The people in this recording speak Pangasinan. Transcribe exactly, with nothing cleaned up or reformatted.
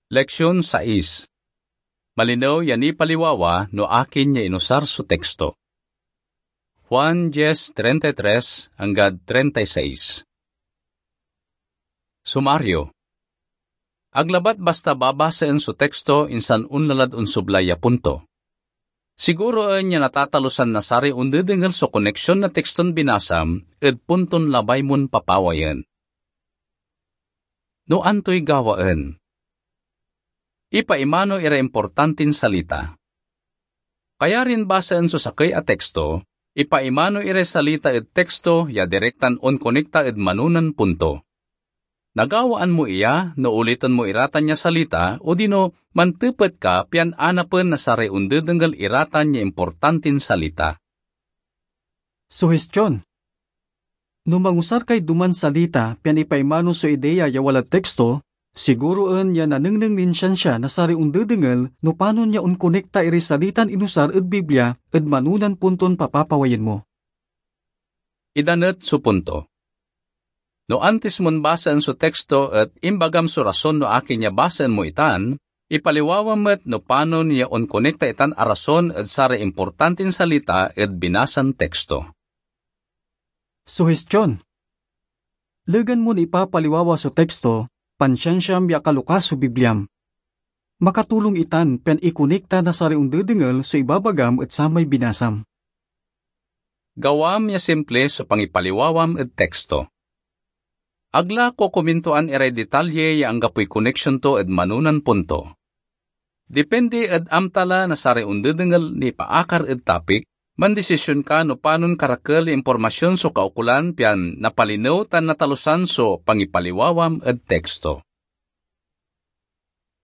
Leksyon sais. Malinew ya nipaliwawa no akin ya inusar so teksto. Juan diez treinta y tres anggad treinta y seis. Sumaryo. Ag labat basta babasaen so teksto insan onla lad onsublay ya punto. Siguroen ya natatalusan na saray ondedengel so koneksion na tekston binasam ed punton labay mon papawayen. No antoy gawaen? Ipaimano iray importantin salita. Kayarin basaen so sakey a teksto, ipaimano iray salita ed teksto ya direktan onkonekta ed manonan punto. Nagawaan mo iya no uliten mo iratan ya salita odino mantepet ka pian anapen na saray ondedengel iratan ya importantin salita. Suhestyon. No mangusar kay duman salita pian ipaimano so ideya ya walad teksto, siguroen ya nanengneng nin siansia na saray ondedengel no panon ya onkonekta iray salitan inusar ed Biblia ed manonan punton papapawayen mo. Ida met so punto. No antis mon basaen so teksto et imbagam so rason no akin ya basaen mo itan, ipaliwawam met no panon ya onkonekta itan a rason ed saray importantin salita ed binasan teksto. Suhestyon. Legan mon ipapaliwawa so teksto, pansiansiam ya akaloka so Bibliam. Makatulong itan pian ikonekta na saray ondedengel so ibabagam ed samay binasam. Gawam ya simple so pangipaliwawam ed teksto. Ag la kokomintuan iray detalye ya anggapoy koneksion to ed manonan punto. Depende ed amta la na saray ondedengel nipaakar ed topic, mandesisyon ka no panon karakel ya impormasyon so kaukolan pian napalinew tan natalusan so pangipaliwawam ed teksto.